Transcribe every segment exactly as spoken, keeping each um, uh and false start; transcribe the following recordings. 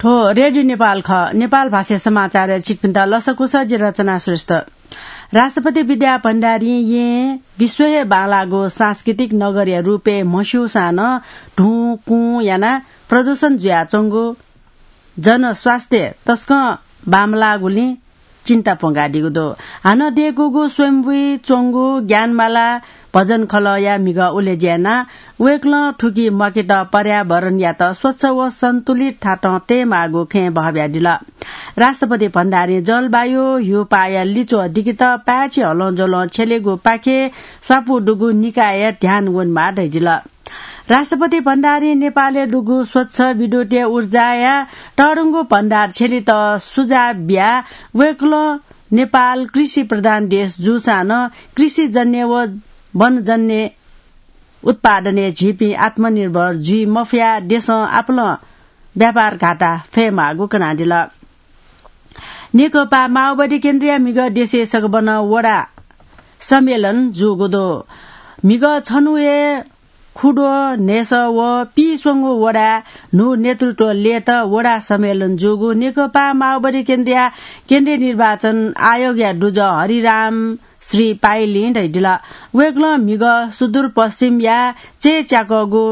थ्व रेडियो नेपाल खः। नेपाल भाषा समाचारय् छिकपिन्त लसकुस, जि रचना श्रेष्ठ। राष्ट्रपति विद्या भण्डारीं यें विश्व हे बांलाःगु सांस्कृतिक नगरया रूपय् म्हस्यूसां नं धुँ कुँ यानाः प्रदूषण जुयाच्वंगु, जनस्वास्थ्य तसकं बांमलाःगुलिं चिन्ता प्वंकादीगु दु। हानं दय्कूगु स्वयम्भूइ च्वंगु ज्ञानमाला भजन खलःया म्हिगः उलेज्या यानाः वय्कलं थुकी म्वाकेत पर्यावरणयात स्वच्छ व सन्तुलित थातं तयेमाःगु खँय् बहःबियादिल। राष्ट्रपति भण्डारीं जलवायु, ह्यूपाःया लिच्वः दिकेत पाय्छि हलंज्वलं छ्यलेगु पाखे स्वापू दुगु निकायया ध्यान वनेमाः धयादिल। राष्ट्रपति भण्डारीं नेपालय् दुगु स्वच्छ विद्युतीय ऊर्जाया तःधंगु भण्डार छ्यलेत सुझाव बियाः वय्कलं नेपाल कृषि प्रधान देश जूसां नं कृषिजन्य व वनजन्य उत्पादनय् झीपिं आत्मनिर्भर जुइ मफयाः देशं आपालं व्यापार घाटा फयेमाःगु कनादिल। नेकपा माओवादी केन्द्रया म्हिगः देशय् सकभनं वडा सम्मेलन जूगु दु। म्हिगः छन्हु हे खुद्वः न्हय्सः व पीस्वंगू वडाय् न्हू नेतृत्व लयेत वडा सम्मेलन जूगु नेकपा माओवादी केन्द्रया केन्द्रीय निर्वाचन आयोगया दुजः हरिराम श्री पाइलिं धयादिल। वय्कलं म्हिगः सुदूरपश्चिमया चय्च्याकःगु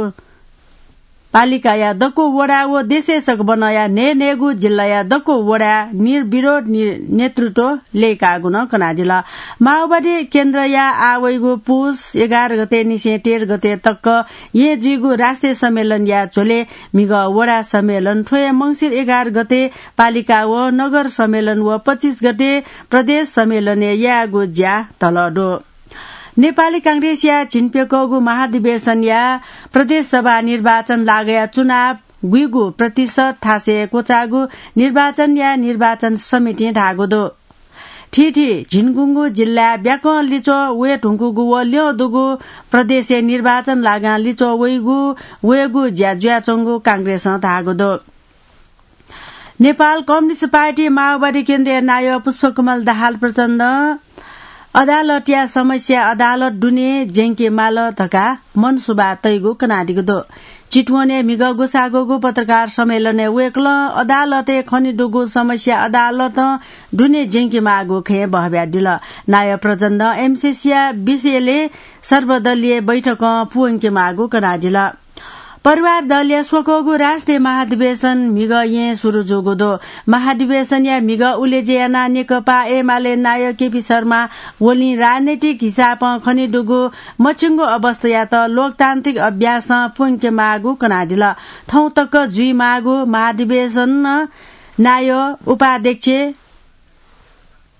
पालिकाया दक्व वडा व देशय् सकभनया न्हय्न्हय्गू जिल्लाया दक्व वडाय् निर्विरोध नि-, नेतृत्व लय्काःगु नं कनादिल। माओवादी केन्द्रया आः वइगु पुस एघार गते निसें तेह्र गते तक येँ जुइगु राष्ट्रिय सम्मेलनया झ्वलय् म्हिगः वडा सम्मेलन थ्व हे मंसिर एघार गते पालिका व नगर सम्मेलन व पच्चिस गते प्रदेश सम्मेलनय् यायेगु ज्या धलः दु। नेपाली कांग्रेसया झिंप्यकःगु महाधिवेशनया प्रदेश सभा निर्वाचन लागःया चुनाव गुइगु प्रतिशत थासय् क्वचाःगु निर्वाचनया निर्वाचन समितिं धाःगु दु। थीथी झिंगुंगू जिल्लाय् ब्याकं लिच्वः वये धुंकूगु व ल्यं दुगु प्रदेशय् निर्वाचन लागां लिच्वः वइगु, वयेगु ज्या जुयाच्वंगु कांग्रेसं धाःगु दु। नेपाल कम्युनिस्ट पार्टी माओवादी केन्द्रया नायः पुष्पकमल दाहाल प्रचण्डं अदालतया समस्या अदालत दुने ज्यंके माल धकाः मनसुबा तइगु कनादीगु दु। चितवनय् म्हिगः ग्वसाः ग्वःगु पत्रकार सम्मेलनय् वय्कलं अदालतय् खनेदुगु समस्या अदालतं दुने ज्यंके माःगु खँय् बहःबियादिल। नायः प्रचण्डं एमसीसीया विषयलय् सर्वदलीय बैठकं पूवंके माःगु कनादिल। परिवार दलया स्वकःगु राष्ट्रिय महाधिवेशन म्हिगः येँ सुरु जूगु दु। महाधिवेशनया म्हिगः उलेज्या यानाः नेकपा एमाले नायः केपी शर्मा ओलीं राजनैतिक हिसाबं खनेदुगु मछिंगु अवस्थायात लोकतान्त्रिक अभ्यासं पूवंके माःगु कनादिल। थौं तक जुइमाःगु महाधिवेशनं नायः, उपाध्यक्ष,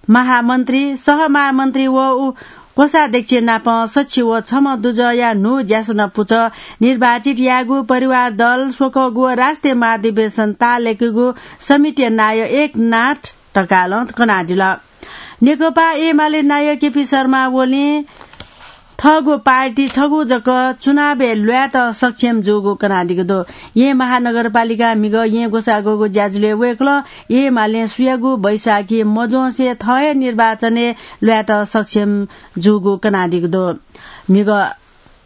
महामन्त्री, सहमहामन्त्री व उ-, कोषाध्यक्ष नाप सछि व छम्ह दुजःया न्हू ज्यासना पुचः निर्वाचित यायेगु परिवार दल स्वकःगु व राष्ट्रिय महाधिवेशन ताःलाकेगु समितिया नायः एकनाथ ढकालं कनादिल। नेकपा एमाले नायः केपी शर्मा ओलीं थःगु पार्टी छगू जक चुनावय् ल्वायेत सक्षम जूगु कनादीगु दु। येँ महानगरपालिकां म्हिगः येँ ग्वसाः ग्वःगु ज्याझ्वलय् वय्कलं एमालें सुयागु बैसाखी मज्वंसे थः हे निर्वाचनय् ल्वायेत सक्षम जूगु कनादीगु दु। म्हिगः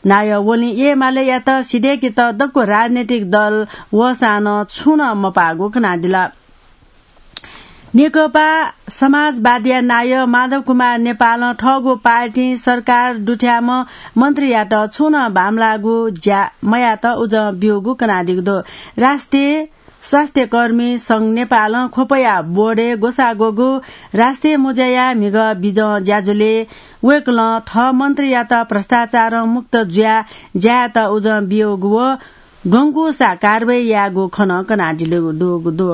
नायः ओलीं एमालेयात सिधय्केत दक्व राजनैतिक दल वःसां नं छुं नं मपाःगु कनादिल। नेकपा समाजवादीया नायः माधव कुमार नेपालं थःगु पार्टीं सरकार दुथ्याःम्ह मन्त्रीयात छुं नं बांमलाःगु ज्या मयात उजं ब्यूगु कनादीगु दु। राष्ट्रिय स्वास्थ्यकर्मी संघ नेपालं ख्वपया बोर्डय् ग्वसाः ग्वःगु राष्ट्रिय मुँज्याया म्हिगः बिजं ज्याझ्वलय् वय्कलं थः मन्त्रीयात भ्रष्टाचारं मुक्त जुयाः ज्यायेत उजं ब्यूगु व द्वंगुसा कारवाही यायेगु खँ नं कनादिल दुगु दु।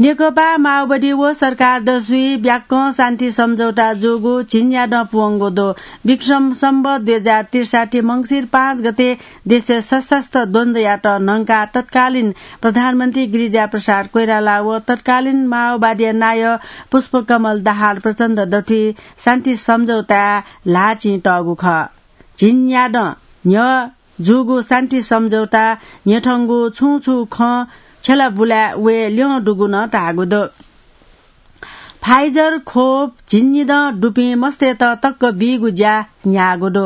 नेकपा माओवादी व सरकार दसुइ ब्याकं शान्ति सम्झौता जूगु झिंन्यादँ पूवंगु दु। विक्रम सम्वत दुई हजार त्रिसाठी मंसिर पाँच गते देशय् सशस्त्र द्वन्द्वयात न्हंकाः तत्कालीन प्रधानमन्त्री गिरिजा प्रसाद कोइराला व तत्कालीन माओवादीया नायः पुष्पकमल दाहाल प्रचण्ड दथुइ शान्ति सम्झौताय् ल्हाःचिं तःगु खः। झिंन्यादँ न्ह्यः जूगु शान्ति सम्झौता न्ह्यथंगु छुं छुं खँ छ्यलाबुलाय् वये ल्यं दुगु नं धाःगु दु। Pfizer खोप झिंनिदँ दुपिं मस्तय्त तक्क बीगु ज्या न्ह्याःगु दु।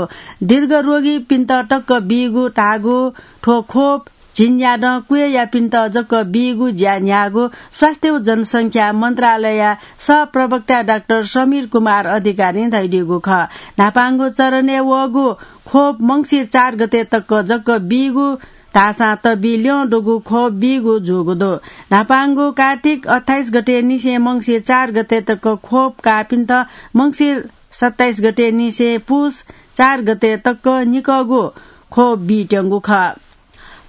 दीर्घ रोगीपिन्त तक्क बीगु धाःगु थ्व खोप झिंन्यादँ क्वय्‌यापिन्त जक बीगु ज्या न्ह्याःगु स्वास्थ्य व जनसंख्या मन्त्रालयया सहप्रवक्ता डाक्टर समीर कुमार अधिकारीं धयादीगु खः। न्हापांगु चरणय् वःगु खोप मंसिर चार गते तक जक बीगु धाःसां तबी ल्यं दुगु खोप बीगु जूगु दु। न्हापांगु कार्तिक अट्ठाइस गते निसें मंसिर चार गते तक खोप काःपिन्त मंसिर सत्ताइस गते निसें पुस चार गते तक निकःगु खोप बीत्यंगु खः।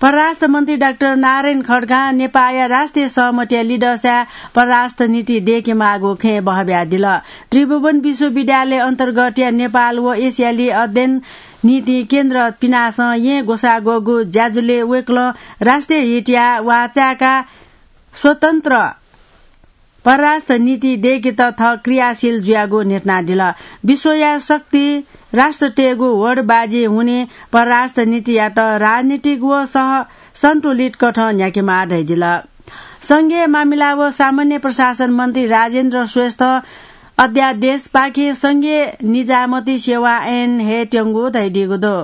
परराष्ट्र मन्त्री डाक्टर नारायण खड्गां नेपाःया राष्ट्रिय सहमतिया लिधंसाय् परराष्ट्र नीति दय्‌केमाःगु खँय् बहब्यादिल। त्रिभुवन विश्वविद्यालय अन्तर्गतया नेपाल व एसियाली अध्ययन नीति केन्द्र पिनासं येँ ग्वसाः ग्वःगु ज्याझ्वलय् वय्‌कलं राष्ट्रिय हितया वाः चाय्‌काः स्वतन्त्र परराष्ट्र नीति दय्‌केत थः क्रियाशील जुयागु न्ह्यथनादिल। विश्वया शक्ति राष्ट्रतय्‌गु होडबाजी हुनिं परराष्ट्र नीतियात राजनीतिक व सह-, सन्तुलित कथं न्ह्याकेमाः धयादिल। संघीय मामिला व सामान्य प्रशासन मन्त्री राजेन्द्र श्रेष्ठं अध्यादेशपाखें संघीय निजामती सेवा ऐन हयेत्यंगु धयादीगु दु।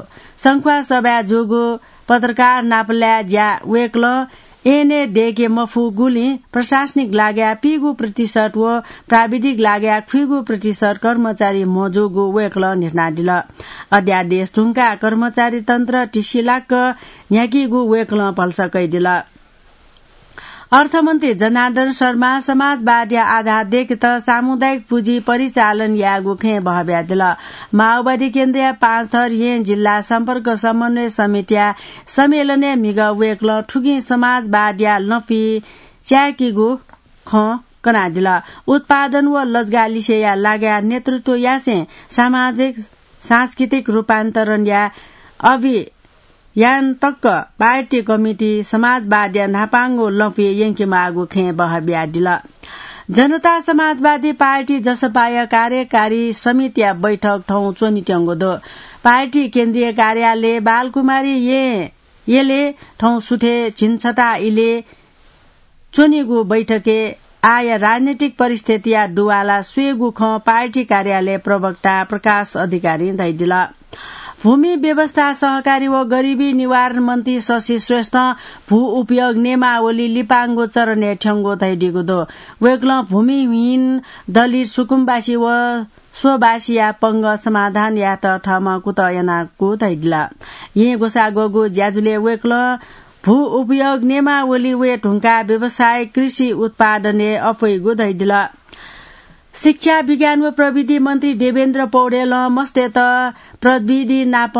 संख्वा सभाय् जूगु पत्रकार नापलाय् ज्या वय्‌कलं ऐनय् दय्‌के मफुगुलिं प्रशासनिक लागय् पीगु प्रतिशत व प्राविधिक लागय् खुइगु प्रतिशत कर्मचारी मजूगु वय्‌कलं न्ह्यथनादिल। अध्यादेश धुंकाः कर्मचारी तन्त्र तिसिलाक्क न्ह्याकीगु वय्‌कलं भलसा कयादिल। अर्थमन्त्री जनार्दन शर्मा समाजवादया आधार दय्‌केत सामुदायिक पुँजी परिचालन यायेगु खँय् बहब्यादिल। माओवादी केन्द्रया पाँचथर येँ जिल्ला सम्पर्क समन्वय समितिया सम्मेलनय् म्हिगः वय्‌कलं थुकिं समाजवादया लँपुइ च्यायेकीगु खँ कनादिल। उत्पादन व लजगालिसेया लागय् नेतृत्व यासें सामाजिक सांस्कृतिक रूपान्तरणया अभियान तक पार्टी कमिटी समाजवादया न्हापांगु लँपुइ यंकेमाःगु खँय् बहब्यादिल। जनता समाजवादी पार्टी जसपाया कार्यकारी समितिया बैठक थौं च्वनेत्यंगु दु। पार्टी केन्द्रीय कार्यालय बालकुमारी येँ यलय् थौं सुथय् झिंछता इलय् च्वनीगु बैठकय् आःया राजनीतिक परिस्थितिया दुवाला स्वयेगु खँ पार्टी कार्यालय प्रवक्ता प्रकाश अधिकारीं धयादिल। भूमि व्यवस्था, सहकारी व गरिबी निवारण मन्त्री शशि श्रेष्ठं भू उपयोग नियमावली लिपांगु चरणय् थ्यंगु धयादीगु दु। वय्‌कलं भूमिहीन दलित सुकुमवासी व स्ववासीया पंगः समाधान यायेत थःम्हं कुतः यानागु धयादिल। येँ ग्वसाः ग्वःगु ज्याझ्वलय् वय्‌कलं भू उपयोग नियमावली वये धुंकाः व्यावसायिक कृषि उत्पादनय् अप्वइगु धयादिल। शिक्षा, विज्ञान व प्रविधि मन्त्री देवेन्द्र पौडेलं मस्तय्‌त प्रविधि नाप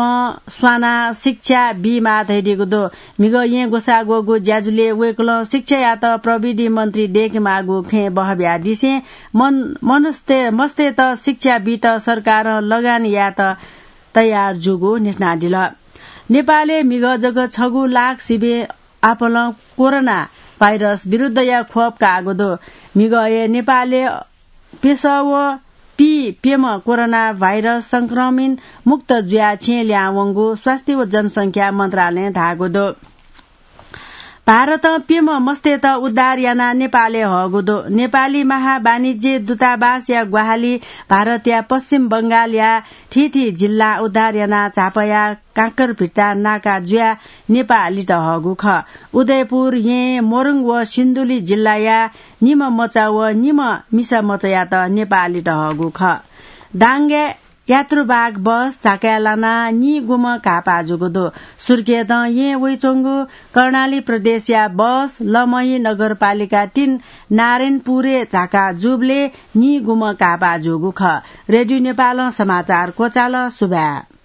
स्वानाः शिक्षा बीमाः धयादीगु दु। म्हिगः येँ ग्वसाः ग्वःगु ज्याझ्वलय् वय्‌कलं शिक्षायात प्रविधि मन्त्री दय्‌केमाःगु खँय् बहब्यादिसें मन-, मनस्ते-, मस्तय्‌त शिक्षा बीत सरकारं लगान यायेत तयार जूगु न्ह्यथनादिल। नेपालय् म्हिगः जक छगू लाख सिबें आपालं कोरोना भाइरस विरुद्धया खोप काःगु दु। म्हिगः हे नेपालय् प्यसः व पीप्यम्ह कोरोना भाइरस संक्रमित मुक्त जुयाः छेँ ल्याहां वंगु स्वास्थ्य व जनसंख्या मन्त्रालयं धाःगु दु। भारतं प्यम्ह मस्तय्‌त उद्धार यानाः नेपालय् हःगु दु। नेपाली महावाणिज्य दूतावासया ग्वाहालि भारतया पश्चिम बंगालया थीथी जिल्लां उद्धार यानाः झापाया काँकरभिट्टा नाका जुयाः नेपाः लित हःगु खः। उदयपुर, येँ, मोरङ व सिन्धुली जिल्लाया निम्ह मचा व निम्ह मिसा मचायात नेपाः लित हःगु खः। दाङय् यात्रुवाहक बस झाकाय् लानाः निगूम्ह घाःपाः जूगु दु। सुर्खेतं येँ वइच्वंगु कर्णाली प्रदेशया बस लमही नगरपालिका तीन नारायणपुरय् झाका जूबलय् निगूम्ह घाःपाः जूगु खः। रेडियो नेपालं समाचार क्वचाल। सुभाय्।